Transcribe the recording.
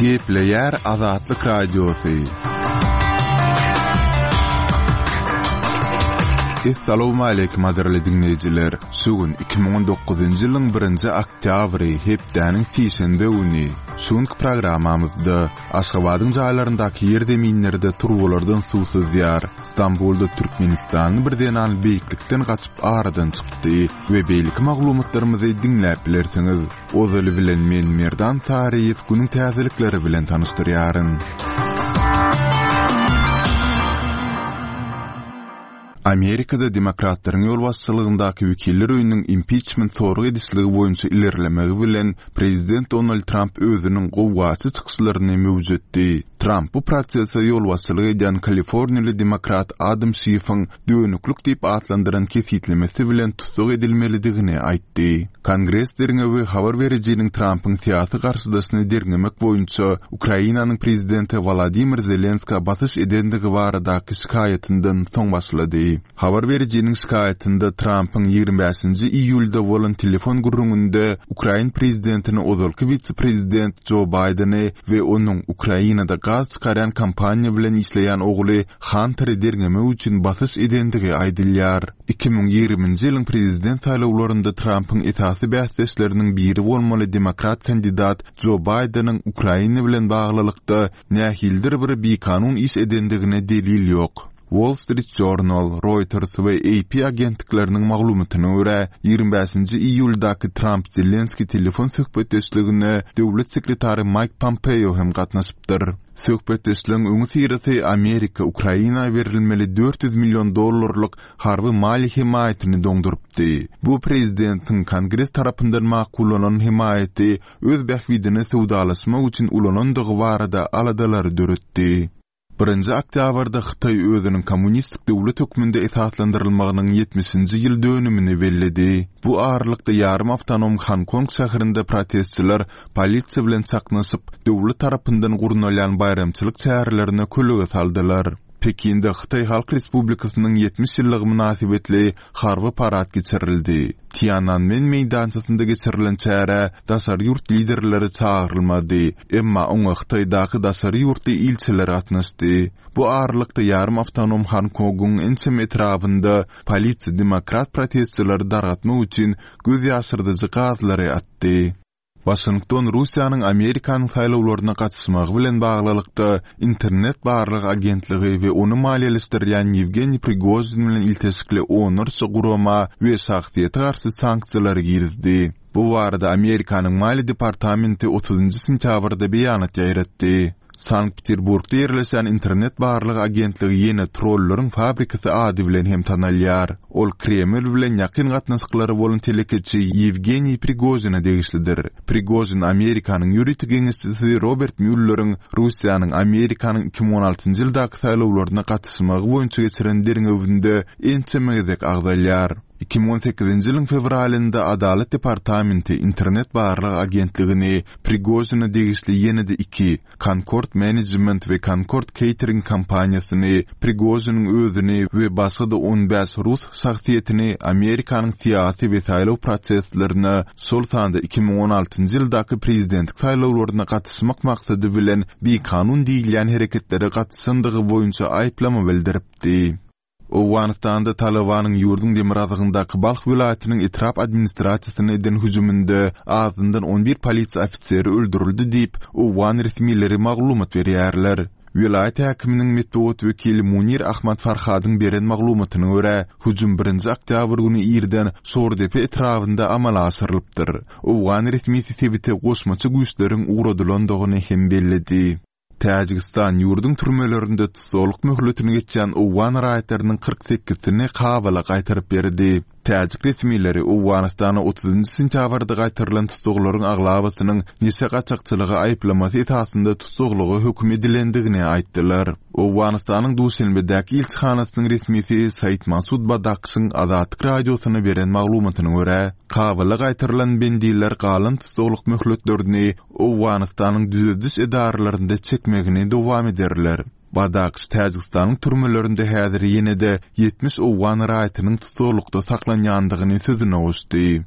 Gepleýär Azatlyk Radiosy. Essalawmaleýkim gadyrly diňleýjiler! Şu gün 2019-njy ýylyň birinji oktýabry, hepdäniň sişenbe güni. Şu günki programmamyzda Aşgabadyň jaýlaryndaky ýerzeminlerde turbalardan suw syzýar, Stambulda türkmenistanly bir zenan beýiklikden gaçyp aradan çykdy we beýleki maglumatlarymyzy diňläp bilersiňiz. Ozaly bilen men Merdan Saryýew günüň täzelikleri bilen tanyşdyrýaryn. Amerikada demokratlaryň ýolbaşçylygyndaky Wekiller öýüniň impiçment sorag edişligi boýunça ilerlemegi bilen prezident Donald Tramp özüniň gowgaçy çykyşlaryny möwjetdi. Tramp bu prosese ýolbaşçylyk edýän kaliforniýaly demokrat Adam Şiffiň dönüklik diýip atlandyran kesgitlemesi bilen tussag edilmelidigini aýtdy. Kongres derňewi habar berijiniň Trampyň syýasy garşydaşyny derňemek boýunça Ukrainanyň prezidenti Wolodymyr Zelenskä basyş edendigi baradaky şikaýatyndan soň başlady. Habar berijiniň şikaýatynda Trampyň 25-nji iýulda bolan telefon gürrüňinde ukrain prezidentini ozalky wise-prezident Jo Baýdeni we onuň Ukrainada gaz çykarýan kompaniýa bilen işleýän ogly Hanteri derňemek üçin basyş edendigi aýdylýar. 2020-nji ýylyň prezident saýlawlarynda Trampyň esasy bäsdeşleriniň biri bolmaly demokrat kandidat Jo Baýdeniň Ukraina bilen baglylykda nähilidir bir bikanun iş edendigine delil ýok. Wall Street Journal, Reuters we AP agentlikleriniň maglumatyna görä, 25-nji iýuldaky Tramp-Zelenskiý telefon söhbetdeşligine döwlet sekretary Maýk Pompeo hem gatnaşypdyr. Söhbetdeşligiň öňüsyrasy Amerika Ukraina berilmeli 400 million dollarlyk harby maliýe hemaýatyny doňdurypdy. Bu prezidentiň Kongres tarapyndan makullanan hemaýaty öz bähbidine söwdalaşmak üçin ulanandygy barada aladalary döretdi. Birinji oktýabrda Hytaý özüniň kommunistik döwlet hökmünde esaslandyrylmagynyň ýetmişinji ýyl dönümini belledi. Bu aralykda ýarym awtonom Honkong şäherinde protestçiler polisiýa bilen çaknyşyp, döwlet tarapyndan gurnalýan baýramçylyk çärelerine kölege saldylar. Pekinde Hytaý Halk Respublikasynyň 70 ýyllygy mynasybetli harby parad geçirildi. Tiananmen meýdançasynda geçirilen çärä daşary ýurt liderleri çagyrylmady, emma oňa Hytaýdaky daşary ýurtly ilçiler gatnaşdy. Bu aralykda ýarym awtonom Honkongyň ençeme etrabynda polisiýa demokrat protestçileri dargatmak üçin göz ýaşyrdyjy gazlary atdy. Waşington Russiýanyň Amerikanyň saýlawlaryna gatyşmagy bilen baglylykda Internet barlag agentligi we ony maliýeleşdirýän Ýewgeniý Prigožin bilen ilteşikli onlarça gurama we şahsyýete garşy sanksiýalary girizdi. Bu barada Amerikanyň Maliýe departamenti otuzynjy sentýabrda beýanat ýaýratdy. Sankt-Peterburgda ýerleşýän Internet barlag agentligi ýene trollaryň fabrikasy ady bilen hem tanalýar. Ol Kreml bilen ýakyn gatnaşyklary bolan telekeçi Ýewgeniý Prigožine degişlidir. Prigožin Amerikanyň ýörite geňeşçisi Robert Mýulleriň Russiýanyň Amerikanyň 2016-njy ýyldaky saýlawlaryna gatyşmagy boýunça geçiren derňewinde ençeme gezek agzalýar. 2018-nji ýylyň fewralynda Adalat departamenti Internet barlag agentligini Prigožine degişli ýene-de iki, Concord Management we Concord Catering kompaniýasyny, Prigožiniň özüni we başga-da on bäş rus şahsyýetini Amerikanyň syýasy we saýlaw proseslerine, şol sanda 2016-njy ýyldaky prezidentlik saýlawlaryna gatyşmak maksady bilen bikanun diýilýän hereketlere gatyşandygy boýunça aýyplama bildiripdi. Owganystanda Talybanyň ýurduň demirgazygyndaky Balh welaýatynyň etrap administrasiýasyna eden hüjüminde azyndan on bir polisiýa ofiseri öldürildi diýip, owgan resmileri maglumat berýärler. Welaýat häkiminiň metbugat wekili Munir Ahmad Farhadyň beren maglumatyna görä, hüjüm birinji oktýabr güni irden Şordepe etrabynda amala aşyrylypdyr. Owgan resmisi sebite goşmaça güýçleriň ugradylandygyny hem belledi. Täjigistan ýurduň türmelerinde tussaglyk möhletini geçýän owgan raýatlarynyň 48-sini Kabula gaýtaryp berdi. Täjik resmileri Owganystana otuzynjy sentýabrda gaýtarylan tussaglaryň aglabasynyň neşe gaçakçylygy aýyplamasy esasynda tussaglyga höküm edilendigini aýtdylar. Owganystanyň Duşenbedäki ilçihanasynyň resmisi Said Masud Badakşyň Azatlyk Radiosyna beren maglumatyna görä, Kabula gaýtarylan bendiler galan tussaglyk möhletlerini Owganystanyň düzediş edaralarynda çekmegini dowam ederler. Badakş Täjigistanyň türmelerinde häzir ýene-de 70 owgan raýatynyň tussaglykda saklanýandygyny sözüne goşdy.